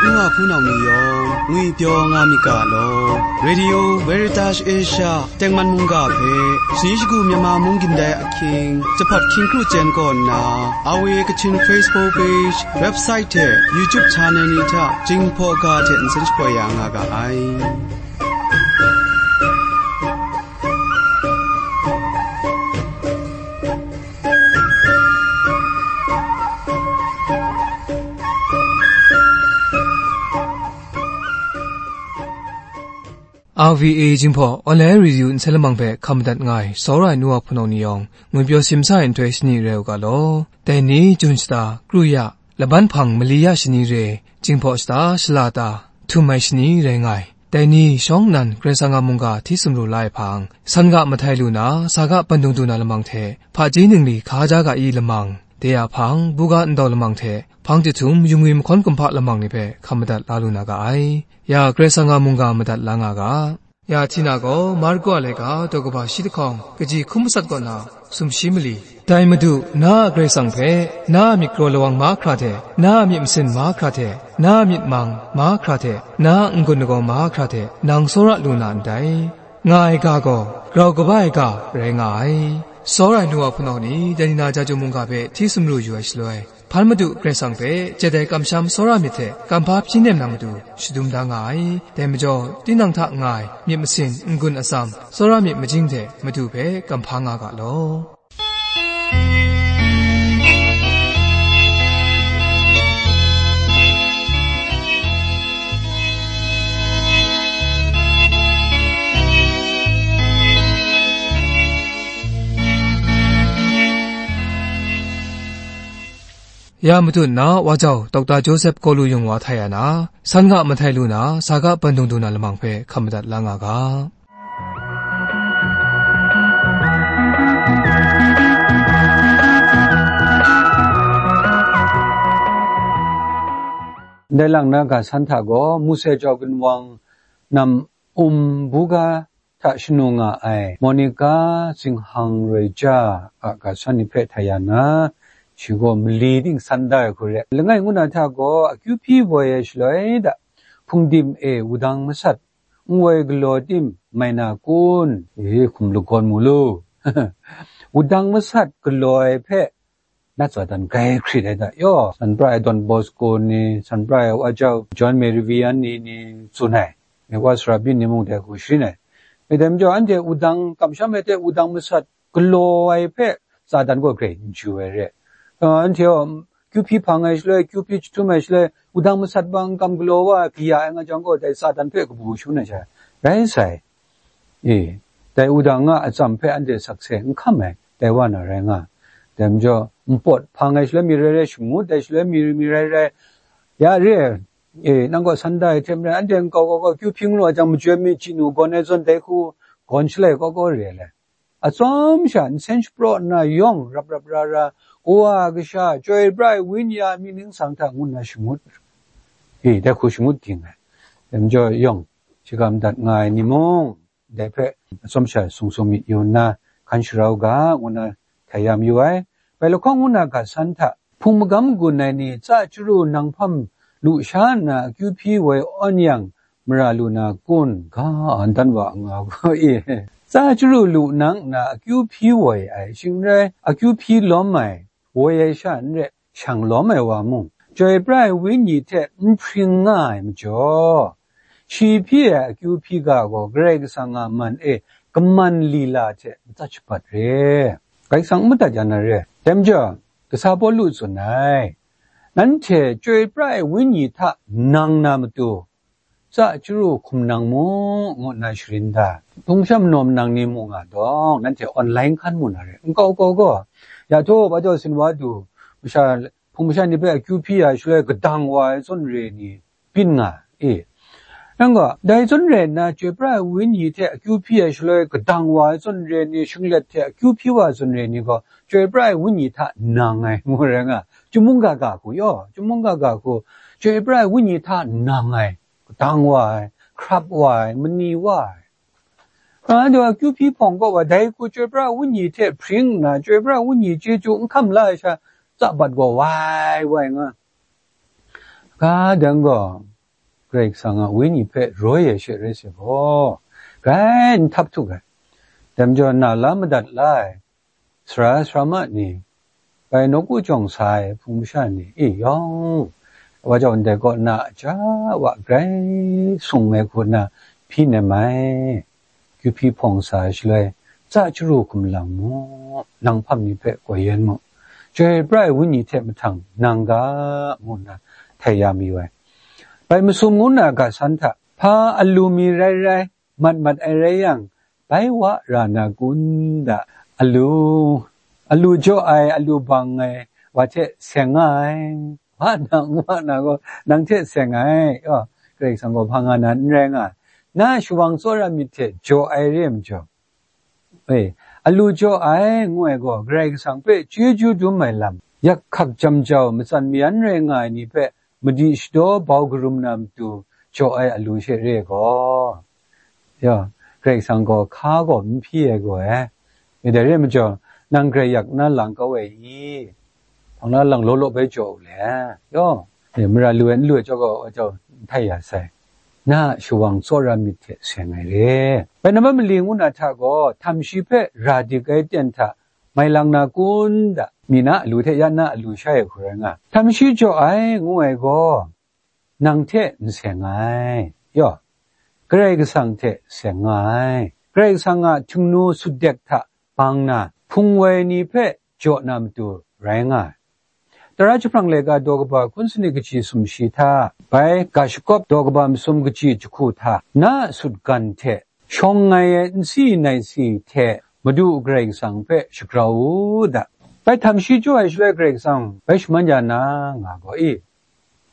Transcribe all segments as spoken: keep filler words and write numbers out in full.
Nwa hpunau ni yawng ngwipyaw nga myit ga law, Radio Veritas Asia tengman mungga hpe, shani shagu Myanmar mung gindai ahkying, Jahpawt hkying kru chyen kaw nna, R V A Kachin Facebook page, website hte YouTube channel ni hta Jinghpaw ga hte nsen shapoi ya nga ga ai. R V A Jinghpaw Online Radio nsen lamang hpe hkam madat nga ai, tsawra ai nu wa hpunau ni yawng, ngwipyaw simsa ai nhtoi shani rai u ga law. Dai ni, Jun shata, kru ya, laban hpang mali ya shani re, Jinghpaw shata, shala ta, htum ai shani rai nga ai. Dai ni, shawng nnan Karai Kasang a mungga hti sumru la ai hpang, san ga mahtai lu na, sa ga bandung du na lamang hte, hpaji ningli hkaja ga i lamang, de a hpang, buga ndau lamang hte, hpang jahtum, yungwi mahkawn kumhpa lamang ni hpe hkam madat la lu na ga ai. Ya Karai Kasang a mungga madat la nga ga. Ya Htina gaw Marku a laika daw kaba shi lahkawng kaji hkum masat kaw na sumshi mali. Dai Madu, na a Karai Kasang hpe, na a myit galaw lawang mahkra hte, na a myit masin mahkra hte, na a myit mang mahkra hte, na a n-gun lagaw mahkra hte, nang tsawra lu na ndai, nga ai ga gaw, grau kaba ai ga rai nga ai. Tsawra ai nu wa hpunau ni, dai ni na Jahtum mungga hpe hti sumru yu ai shaloi, Hpan Madu Karai Kasang hpe jadai kamsham tsawra myit hte kamhpa hpyi nem na matu shadum da nga ai. Dai majaw, tinang hta nga ai myit masin n-gun atsam, tsawra myit majing hte Madu hpe kamhpa nga ga law. Ya matut na wa jau Dokta Joseph Kalu Yung wa htai ya na, san ga mahtai lu na, sa ga bandung du na lamang hpe hkam madat la nga ga. Ndai lang na ga san hta gaw, Muse jau ginwang nam um buga hta shanu nga ai Monica Zinghang Reja a ga san ni hpe htai ya na, shi gaw mali ting san da ai hku re. Langai ngu na hta gaw, akyu hpyi woi ai shaloi da, hpungdim e wudang masat n woi galaw tim mai na kun? E, hkum lagawn mu lu. Wudang masat galaw ai hpe nat tsa dan grai hkrit ai da. Yaw, San Pra ai Don Bosco ni, San Pra ai Wa Jau John Mary Vianney ni tsun ai, wa sara byin ni mung dai hku sharin ai. Dai majaw, anhte wudang kamsham ai hte wudang masat galaw ai hpe Satan gaw grai n chyu ai re. Uh, anhte gaw, kyu hpyi hpang ai shaloi, kyu hpyi jahtum ai shaloi, wudang masat bang kam galaw wa ai, kaya ai nga jang gaw, dai Satan hpe kabu shangun ai sha rai sai. E, dai wudang a atsam hpe anhte sakse n hkam ai, dai wa na rai nga. Dai majaw, npawt hpang ai shaloi mi rai rai, shangut ai shaloi mi, mi rai rai, ya re ai. E, nang gaw san da ai hte maren, anhte nkau kau kau kyu hpyi nga lu ai jang, majoi mi chyi nu gawn ai zawn dai hku gawn shalai kau kau re ai le. Atsawm sha nsen shapraw nna yawng rap rap ra ra, Kawa Kasha, Chyoi Pra ai Wenyi a myit ningsang hta ngu nna shangut. E, dai hku shangut ging ai. Dai majaw yawng, shaga madat nga ai ni mung, dai hpe atsawm sha sung sung myit yu nna, hkan sharau ga, ngu nna htai ya mayu ai. Bai lahkawng ngu na ga san hta, hpung magam gun ai ni tsa chyaru nang hpam lu sha nna akyu hpyi woi awn yang, mara lu na kun? Ga, andan wa nga gaw e. Tsa chyaru lu nang nna akyu hpyi woi ai, shing n rai, akyu hpyi lawm ai, woi ai sha n rai, shang lawm ai wa mung, Chyoi Pra ai Wenyi hte n hpring nga ai majaw, shi hpyi ai akyu hpyi ga gaw Karai Kasang a man e kaman lila hte matsat shabat re. Karai Kasang n madat ya na re. Dai majaw, kasa Pawlu tsun ai, nanhte Chyoi Pra ai Wenyi hta nang na matu, tsa chyaru hkum nang mu, ngu nna sharin da. Hpung sham nawm nang ni mu nga dawng, nanhte online hkan mu na re. Nkau kau gaw, ya htaw, ba jau sin wa du, masha, hpung masha ni hpe akyu hpyi ya shaloi, kadang wa ai zawn re ni byin nga e. Nang gaw, dai zawn rai nna, Chyoi Pra ai Wenyi hte akyu hpyi ya shaloi, kadang wa ai zawn re ni, shinglet hte akyu hpyi wa ai zawn re ni gaw, Chyoi Pra ai Wenyi hta nang ai, ngu rai nga. Chyum mungga ga hku yaw, chyum mungga ga hku, Chyoi Pra ai Wenyi hta nang ai, kadang wa ai, hkrap wa ai, mani wa ai. Anhte a kyu hpyi hpawng kaw wa, dai hku Chyoi Pra Wenyi hte hpring nna, Chyoi Pra Wenyi chyeju n hkam la ai sha, tsa bat gaw wai wai nga. Ga dang gaw, Karai Kasang a Wenyi hpe roi ai she rai sai gaw, grai n htap htuk ai. Dai majaw, na la madat la ai sara sarama ni, bai nawku jawng sa ai hpung masha ni, e yawng, wa jau ndai kaw na a ja wa grai sung ai hku na hpyi nem ai. Kyu hpyi hpawng sa ai shaloi, tsa chyaru hkum lang mu, nang hpam ni hpe koi yen mu, chyoi pra ai Wenyi hte mahtang nang ga, ngu nna htai ya mayu ai. Bai masum ngu na ga san hta, hpa alu mi rai rai, mat mat ai rai yang, bai wa ra na kun da, alu, alu jaw ai, alu bang ai, wa hte seng nga ai, wa na, wa na gaw, nang hte seng ai, yaw, Karai Kasang gaw hpa nga na n rai nga ai. Na shawang tsawra myit hte jaw ai re ai majaw, e, alu jaw ai, ngu ai gaw, Karai Kasang hpe chyeju dum ai lam, yak hkak jam jau, matsan mayan rai nga ai ni hpe madi shadaw bau karum na matu jaw ai alu she re ai gaw, ya, Karai Kasang gaw hka gaw n hpyi ai gaw e. E, dai re ai majaw, nang grai yak na lang kau ai i? Hpang na lang law law bai jaw u le, yaw. E, mara lu ai n lu ai jaw gaw, wa jau n htai ya sai. Na a shawang tsawra myit hte seng ai re. Bai na mali ngu na hta gaw, htam shi hpe ra dik ai ten hta mai lang na kun da, mi na alu hte ya na alu sha ai hku rai nga. Htam shi jaw ai, ngu ai gaw, nang hte n seng ai, yaw, Karai Kasang hte seng nga ai. Karai Kasang a htingnu sutdek hta bang na, hpung woi ni hpe jaw na matu rai nga ai. Tara jahprang laika daw kaba hkun sanit kaji sumshi hta, bai ga shakawp daw kaba masum kaji jahku hta, na a sutgan hte shawng ngai ai nsi nai si hte Madu Karai Kasang hpe shagrau u da. Bai htam shi jaw ai shaloi Karai Kasang bai shaman ya na nga gaw i?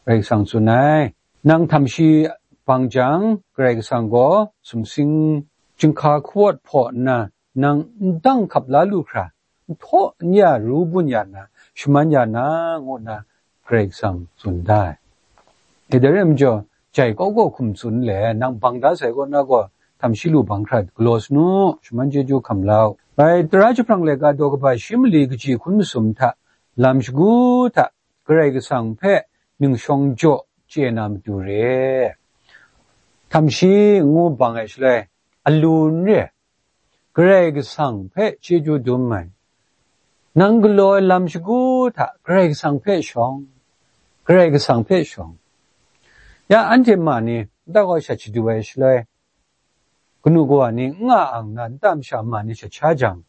Karai Kasang tsun ai, nang htam shi bang jang, Karai Kasang gaw sumsing chyinghka hkawt hpaw nna, nang n dang hkap la lu hkra, n htaw n ya ru bun ya nna, shaman ya na, ngu nna Karai Kasang tsun da ai. E, dai rai majaw, jai kau kau hkum tsun le, nang bang da sai kaw na gaw, htam shi lu bang hkra galaw sa nu, shaman chyeju hkam la u. Bai tara jahprang laika daw kaba shi mali kaji hkun masum hta, lam shagu hta, Karai Kasang hpe ning shawng jaw chye na matu re. Htam shi ngu bang ai shaloi, alu n re, Karai Kasang hpe chyeju dum ai. Nang galaw ai lam shagu hta Karai Kasang hpe shawng, Karai Kasang hpe shawng. Ya, anhte ma ni nta kaw shat shadu ai shaloi, kanu kawa ni n nga ang na, nta masha ma ni shat sha jang,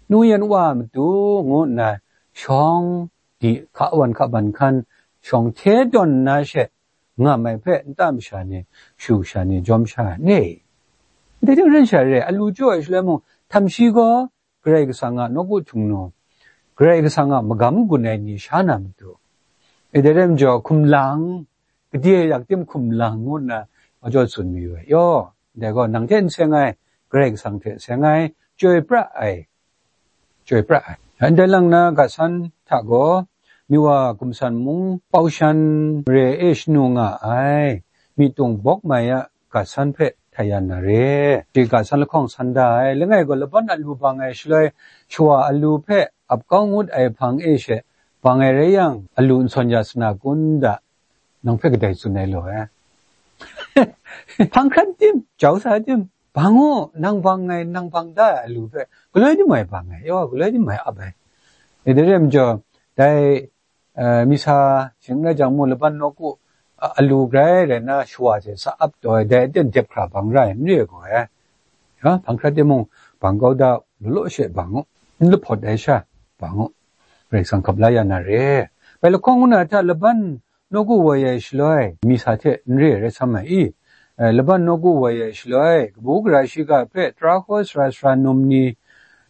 nu yan wa a matu ngu nna shawng di, hka wan hka ban hkan, shawng hte tawn nna she, ngam ai hpe nta masha ni, shu sha ni jawm sha ai, n re i? Dai hte maren sha re, alu jaw ai shaloi mung, htam shi gaw Karai Kasang a nawku htingnu, Karai Kasang a magam gun ai ni sha na matu. E, dai rai majaw, hkum lang, gade yak tim hkum lang ngu nna, wa jaw tsun mayu ai. Yaw, dai gaw, nang hte n seng ai, Karai Kasang hte seng ai, chyoi pra ai, chyoi pra ai. Ndai lang na ga san hta gaw, Miwa Gumsan mung Paushan re e shanu nga ai, Mitung Bawk Mai a ga san hpe htai ya na re. Shi ga san lahkawng san da ai, langai gaw laban alu bang ai shaloi, shawa alu hpe ap kau ngut ai hpang e she bang ai rai yang, alu n sawn ya sa na kun da, nang hpe kadai tsun ai law e. Hpang hkrat tim, jau sa tim, bang u, nang bang ai, nang bang da ai alu hpe galoi dim ai bang ai, yaw, galoi dim ai ap ai. E, dai re majaw, dai, eh, misa shing rai jang mu, laban nawku, a, alu grai rai na shawa hte sa ap taw ai, dai aten dep hkra bang ra ai, n re ai gaw e. Ya, hpang hkrat timung, bang kau da, law law she bang u, n lahpawt ai sha, bang u, Karai Kasang hkap la ya na re. Bai lahkawng ngu na hta laban nawku woi ai shaloi, misa hte n re ai rai sam ai i? Eh, laban nawku woi ai shaloi, kabu gara shiga hpe tara hkaw sara sara num ni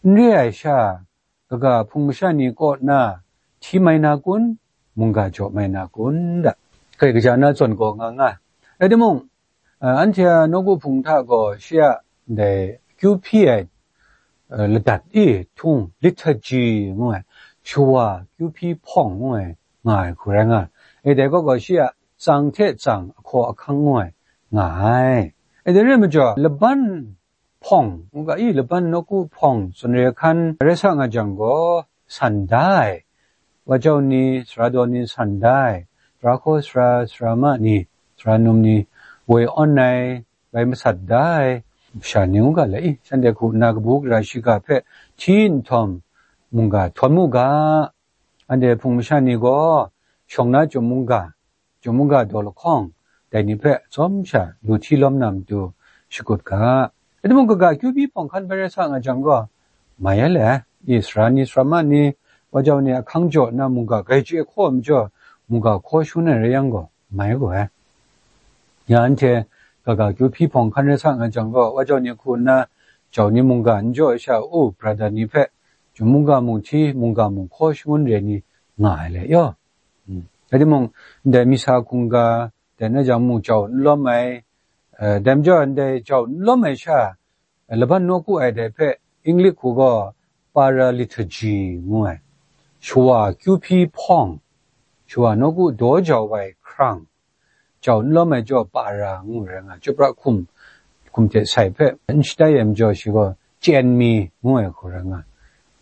n re ai sha, kaga hpung masha ni kaw na hti mai na kun, mungga jaw mai na kun da, Karai kaja na zawn gaw nga nga. Rai timung, eh, anhte a nawku hpung hta gaw shi a ndai kyu hpyi ai, eh, ladat e htung, liturgy ngu ai, shawa kyu hpyi hpawng ngu ai, nga ai hku rai nga ai. E, dai gaw gaw shi a tsang hte tsang ahkaw ahkang ngu ai, nga ai. E, dai re majaw, laban hpawng, ngu ga i, laban nawku hpawng tsun re hkan rai sa nga jang gaw, san da ai. Wa jau ni, sara daw ni san da ai. Tara hkaw sara, sara ma ni, sara num ni woi awn ai, bai masat da ai masha ni ngu ga le, i, shanhte hku nna kabu gara shiga hpe hti nhtawm, mungga htawn mu ga, anhte Hpung masha ni gaw shawng na chyum mungga, chyum mungga daw lahkawng, dai ni hpe tsawm sha lu hti lawm na matu shakut ga. Rai timung, kaga akyu hpyi hpawng hkan bai rai sa nga jang gaw, mai ai le, i, sara ni, sara ma ni, wa jau ni ahkang jaw nna mungga grai chye hkaw ai majaw, mungga hkaw shangun ai rai yang gaw, mai ai gaw ai. Ya anhte kaga akyu hpyi hpawng hkan rai sa nga jang gaw, wa jau ni hku nna jau ni mungga n jaw ai sha, u, brada ni hpe, chyum mungga mung hti, mungga mung hkaw shangun re ni nga ai le yaw. Mm. Rai timung, ndai misa hkungga, dai na jang mung jau n lawm ai, eh, dai majaw ndai jau n lawm ai sha, eh, laban nawku ai dai hpe, English hku gaw para liturgy ngu ai. Shawa akyu hpyi hpawng, shawa nawku daw jau ai hkrang, jau n lawm ai jaw para ngu rai nga, chyupra hkum, hkum hte sai hpe n shatai ai majaw shi gaw chyen mi ngu ai hku rai nga.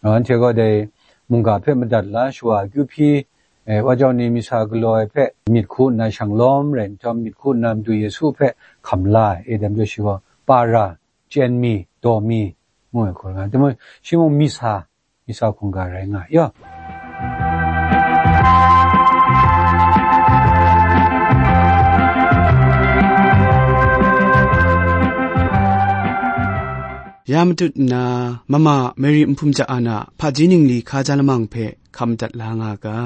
Anhte gaw dai mungga hpe madat la, shawa akyu hpyi, eh, wa jau ni misa galaw ai hpe myit hku nna shang lawm rai nhtawm, myit hku nna Madu Yesu hpe hkam la ai, e dai majaw shi gaw para, chyen mi, daw mi ngu ai hku rai nga. Timung, shi mung misa, misa hkungga rai nga ai yaw. Ya matut nna, Mama Mary Nhpum Ja An a hpaji ningli hkaja lamang hpe hkam dat la nga ga.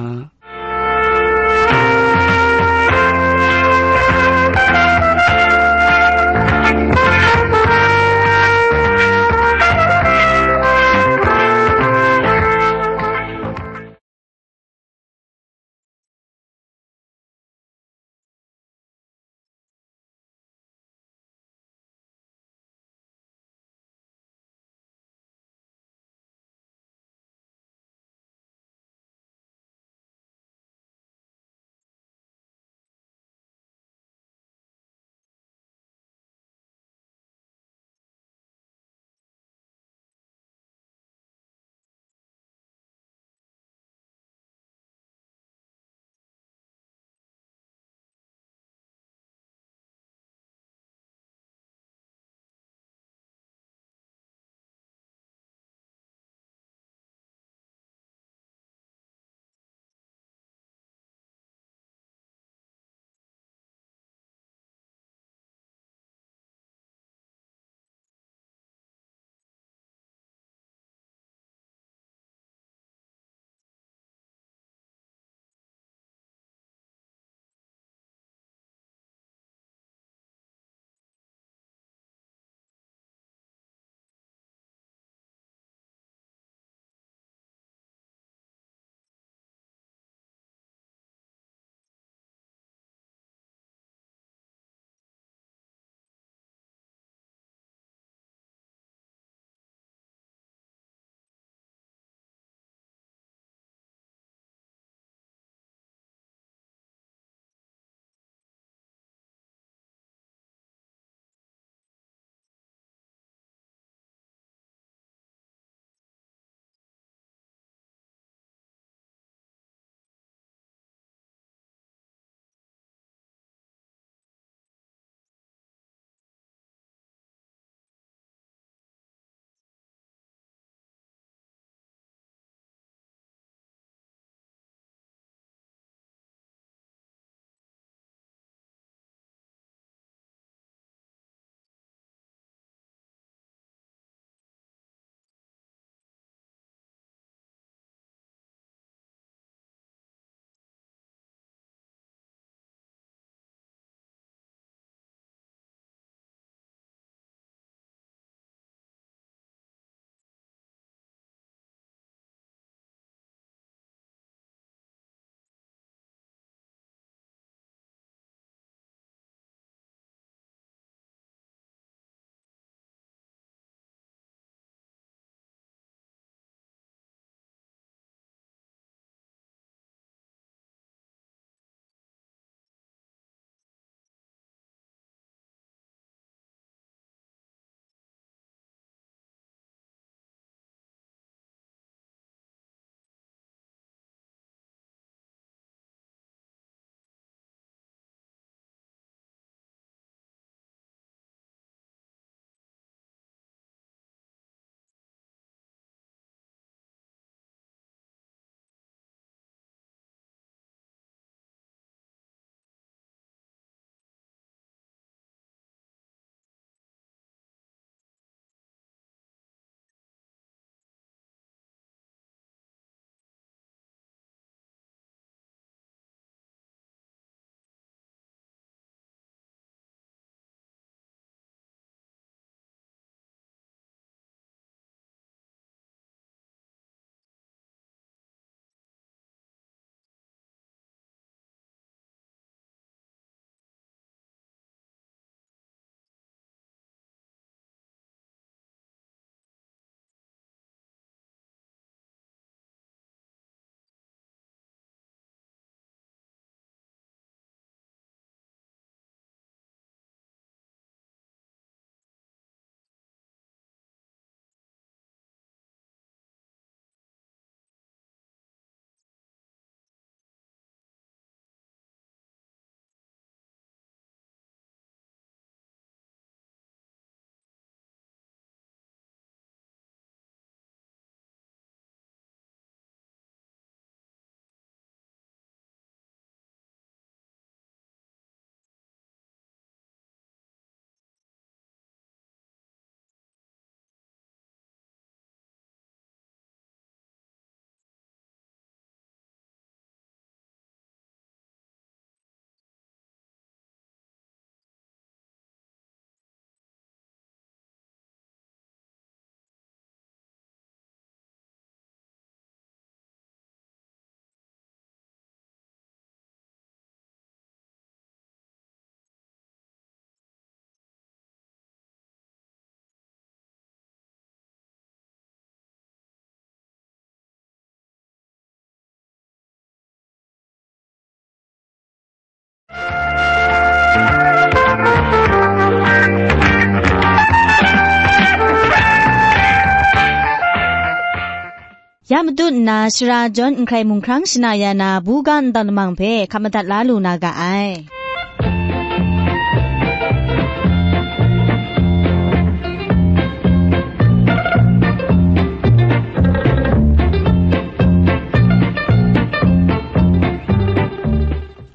Ya matut nna, sara jawn n hkrai mung hkrang shana ya na, buga ntawn lamang hpe hkap madat la lu na ga ai.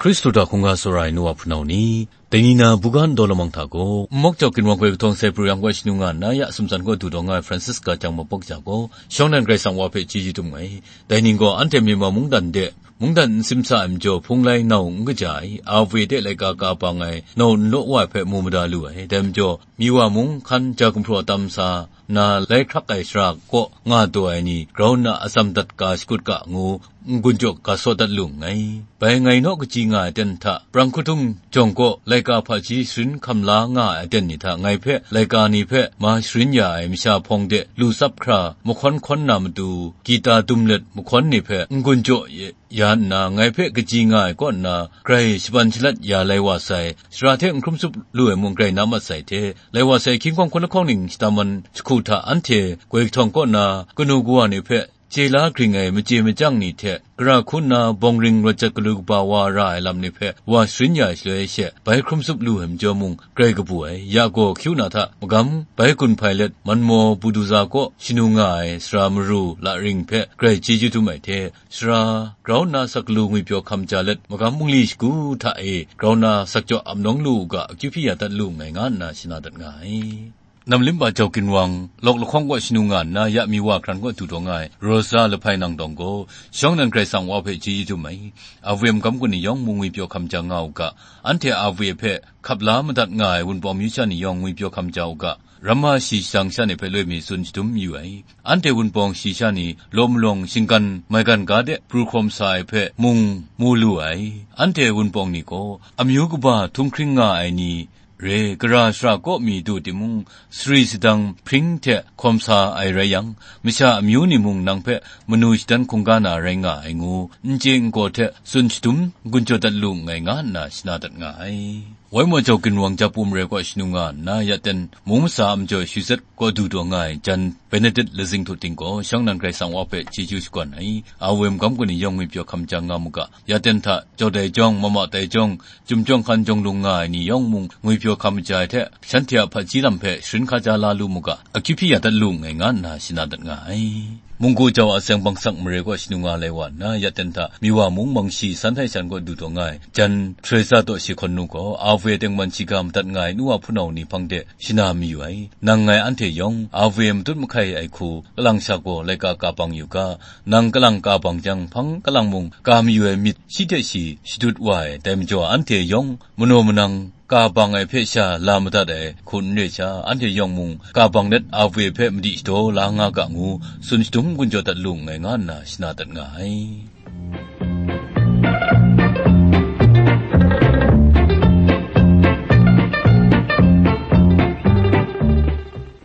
Hkristu hta hkungga tsawra ai nu wa hpunau ni, dai ni na buga ntawn lamang hta gaw, Nmawk Jau Ginwang Gwi Kahtawng Sai Pru Yang Kaw Shanu Nga Nna Ya Sumsan Kaw Du Taw Nga Ai Francisca Chyang Mapawk Ja gaw, shawng nnan Karai Kasang Wa hpe chyeju dum ai. Dai ning gaw, anhte Myanmar mungdan de, mungdan n simsa ai majaw, hpung lai nau n kaja ai, A V A de laika ka bang ai, nau n law wa ai hpe mu mada lu ai. Dai majaw, Miwa mung hkan ja gumhpraw tam sa na, lai hkrak ai shara kaw nga taw ai ni grau nna atsam dat ga shakut ga ngu, n-gun jaw ga saw dat lu nngai. Bai ngai naw kaji nga ai aten hta, prang hkutum jawng kaw laika hpaji sharin hkam la nga ai aten ni hta, ngai hpe laika ni hpe ma sharin ya ai masha hpawng de lu tsap hkra mahkawn hkawn na matu, gita dum let mahkawn ni hpe n-gun jaw ya nna, ngai hpe kaji nga ai kaw nna, grai shaban shalat ya lai wa sai, sara hte n hkrum tsup lu ai mung grai na mat sai hte, lai wa sai hkying hkawng hkun lahkawng ning shadaman jahku hta anhte gwi kahtawng kaw na kanu kawa ni hpe chye la gring ai machye machyang ni hte, gara hku nna bawng ring rawt jat galu kaba wa ra ai lam ni hpe wa sharin ya ai shaloi she, bai hkrum tsup lu ai majaw mung grai kabu ai. Ya gaw, hkyu na hta magam bai gun hpai let, Manmaw Buduza kaw shanu nga ai sara maru la ring hpe grai chyeju dum ai hte, sara grau nna sak lu ngwipyaw hkam ja let, magam bungli shagu hta e grau nna sak jaw ap nawng lu u ga, akyu hpyi ya dat lu nngai, nga nna shana dat nga ai. Namlimba Jau Ginwang, Lawk Lahkawng kaw shanu nga nna, ya Miwa hkran kaw du taw nga ai Rosa Lahpai Nang Dawng gaw, shawng nnan Karai Kasang Wa hpe chyeju dum ai. A V M magam gun ni yawng mung ngwipyaw hkam ja nga u ga, anhte A V A hpe hkap la madat nga ai Wunpawng amyu sha ni yawng ngwipyaw hkam ja u ga, ramma shi shadang sha ni hpe loi mi tsun shadum mayu ai. Anhte Wunpawng shi sha ni law malawng shinggan maigan ga de pru hkawm sa ai hpe mung mu lu ai. Anhte Wunpawng ni gaw amyu kaba htunghkring nga ai ni re, gara shara kaw mi du timung, sari sadang hpring hte hkawm sa ai rai yang, masha amyu ni mung nang hpe manu shadan hkungga na rai nga ai ngu, n chye n gaw hte tsun shadum n-gun jaw dat lu nngai, nga nna shana dat nga ai. Waimaw Jau Ginwang Japu mare kaw shanu nga nna, ya ten mung masa a majaw Shizet kaw du taw nga ai jan Benedict Lazing Htu Ting gaw, shawng nnan Karai Kasang Wa hpe chyeju shakawn ai. A V M magam gun ni yawng ngwipyaw hkam ja nga mu ga, ya ten hta jau dai jawng, mama tai jawng, chyum jawng hkan jawng lung nga ai ni yawng mung ngwipyaw hkam ja ai hte, shanhte a hpaji lam hpe sharin hkaja la lu mu ga, akyu hpyi ya dat lu nngai, nga nna shana dat nga ai. Munggu Jau Aseng Bangsak mare kaw shanu nga lai wa nna, ya ten hta Miwa mung Mangshi San Htai Shan kaw du taw nga ai jan Teresa Daw Shi Hkawn Nu gaw, A V A tengman shiga madat nga ai nu wa hpunau ni hpang de shana mayu ai. Nang ngai anhte yawng A V A matut mahkai ai hku kalang sha gaw laika ka bang yu ga, nang kalang ka bang jang, hpang kalang mung ka mayu ai myit shi hte shi shadut wa ai. Dai majaw, anhte yawng manaw manang ka bang ai hpe sha la madat ai hku n re sha, anhte yawng mung ka bang let A V A hpe madi shadaw la nga ga ngu, tsun shadum n-gun jaw dat lu nngai, nga nna shana dat nga ai.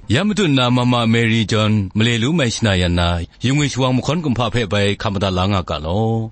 Ya matut nna Mama Mary John male lu mai shana yan na, yungwi shawang mahkawn kumhpa hpe bai hkam madat la nga ga law.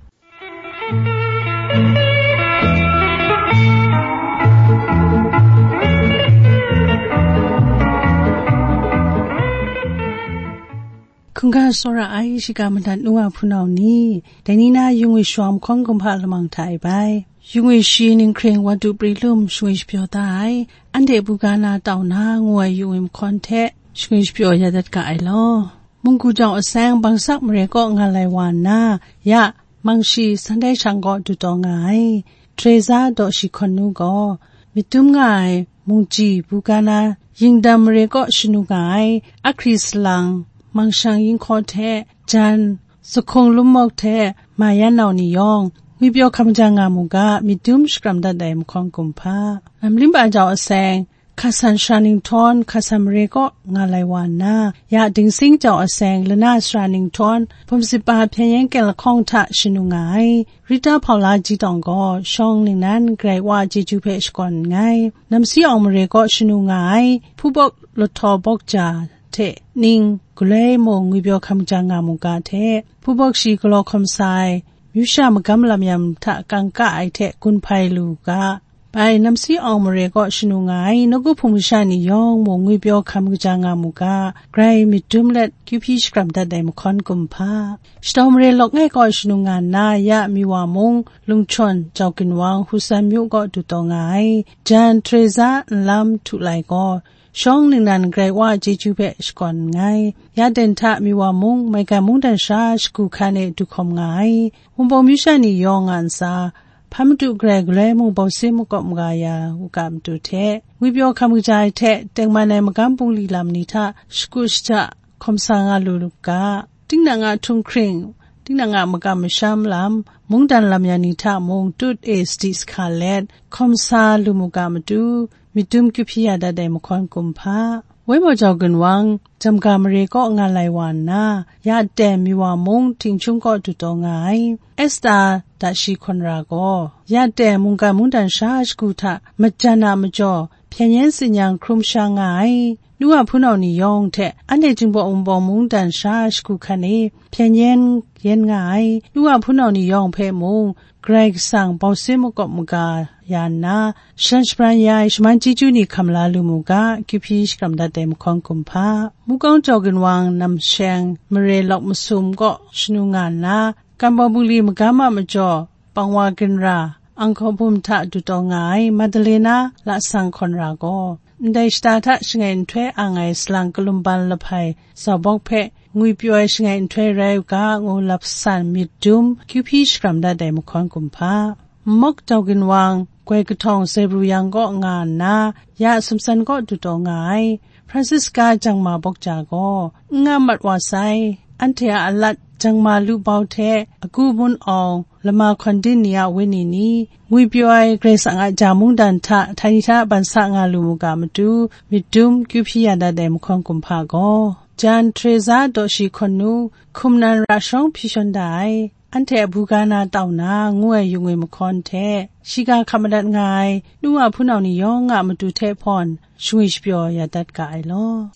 Hkungga tsawra ai shiga madat nu wa hpunau ni, dai ni na yungwi shawang mahkawn kumhpa lamang hta e bai. Yungwi shi ninghkring Wadu Pri Lum shangwi shapyaw da ai, anhte buga na tau na ngu ai yungwi mahkawn hte shangwi shapyaw ya dat ga ai law. Munggu Jau Aseng Bangsak mare kaw nga lai wa nna, ya Mangshi San Htai Shan kaw du taw nga ai Teresa Daw Shi Hkawn Nu gaw, myit dum nga ai Mungji buga na Yingdam mare kaw shanu nga ai Ahkri Salang, Mangshang Yinghkaw hte jan, Zahkung Lummawk hte Mayan Nau ni yawng, ngwipyaw hkam ja nga mu ga, myit dum shakram dat ai mahkawn kumhpa. Namlimba Jau Aseng, Hkasan Sara Ninghtawng, Hkasan mare kaw nga lai wa nna, ya Dingsing Jau Aseng, Lana Sara Ninghtawng, Hpawm Sitpa Hpyen Yen Kyen Lahkawng hta shanu nga ai Rita Hpaula Ji Tawng gaw, shawng ningnan Karai Wa chyeju hpe shakawn nngai. Namsi Awng mare kaw shanu nga ai Hpubawk Lahtawbawk Ja hte ning galoi mung ngwipyaw hkam ja nga mu ga hte, Hpubawk shi galaw hkawm sa ai, myu sha magam lam yam hta kangka ai hte gun hpai lu ga, Bai namsi awng mare kaw shanu nga ai nawku hpung masha ni yawng mung ngwipyaw hkam kaja nga mu ga, grai myit dum let kyu hpyi shakram dat ai mahkawn kumhpa. Shadaw mare lawk ngai kaw shanu nga nna, ya Miwa mung, Lungchawn, Jau Ginwang, Husan myu kaw du taw nga ai, jan Teresa nlam htu lai gaw, shawng ningnan grai wa chyeju hpe shakawn nngai. Ya ten hta Miwa mung, maigan mungdan sha shagu hkan e du hkawm nga ai. Wunpawng myu sha ni yawng nga ntsa, hpa madu garai galoi mung bau sin makawp maga ya u ga matu hte, ngwipyaw hkam kaja ai hte tengman ai magam bungli lam ni hta shagu shaja hkawm sa nga lu lu ga, tinang a htunghkring, tinang a makam masham lam, mungdan lam ya ni hta mung tut e sadi sa let hkawm sa lu mu ga matu, myit dum kyu hpyi ya dat ai mahkawn kumhpa. Woi maw Jau Ginwang, Jamga mare kaw nga lai wa nna, ya ten Miwa mung Htingchung kaw du taw nga ai, Esta da shi hkawn ra gaw, ya ten mungkan mungdan sha shagu hta majan a majaw, hpyen yen tsin yang hkrum sha nga ai, nu a hpunau ni yawng hte anhte Jinghpaw Wunpawng mungdan sha shagu hkan e hpyen yen yen nga ai, nu a hpunau ni yawng hpe mung, Karai Kasang bau sin makawp maga ya nna, shan shabran ya ai shaman chyeju ni hkam la lu mu ga, kyu hpyi shakram dat ai mahkawn kumhpa. Mukawng Jau Ginwang namsheng mare lawk masum kaw shanu nga nna, Kambawng bungli magam a majaw, Pangwa Ginra, Anghkaw Bum hta du taw nga ai Madalena lasang hkawn ra gaw, ndai shata hta shangai nhtoi ang ai salang kalumban lahpai zaubawk hpe ngwipyaw ai shangai nhtoi rai u ga, ngu lap san myit dum kyu hpyi shakram dat ai mahkawn kumhpa. Mawk Jau Ginwang, Goi Kahtawng Zebru yang kaw nga nna, ya sumsan kaw du taw nga ai, Francisca Jangma Bawkja gaw, n nga mat wa sai, anhte a alat Jangma Lubau hte, Agu Mun Awng, Lama Hkawn Din ni a wenyi ni, ngwipyaw ai Karai Kasang a ja mungdan hta, htai ni hta ban sa nga lu mu ga matu, myit dum kyu hpyi ya dat ai mahkawn kumhpa gaw, jan Teresa daw shi hkawn nu, hkum nan ra shawng hpyi shawn da ai, anhte a buga na tau na, ngu ai yung e mahkawn hte, shiga hkap madat nga ai, nu a hpunau ni yawng a matu hte hpawn, shangwi shapyaw ya dat ga ai law.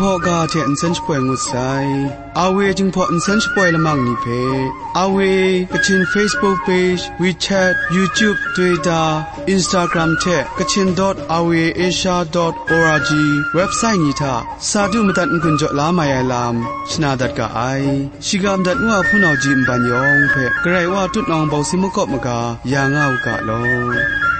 Hkaw ga hte nsen shapoi ngut sai. Awe Jinghpaw nsen shapoi lamang ni hpe, Awe Kachin Facebook page, WeChat, YouTube, Twitter, Instagram hte Kachin dot awe asia dot org website ni hta sa du madat n-gun jaw la mai ai lam shana dat ga ai. Shiga madat ngu a hpunau ji nban yawng hpe Karai Wa tutnawng bawng si makawp maga ya nga u ga law.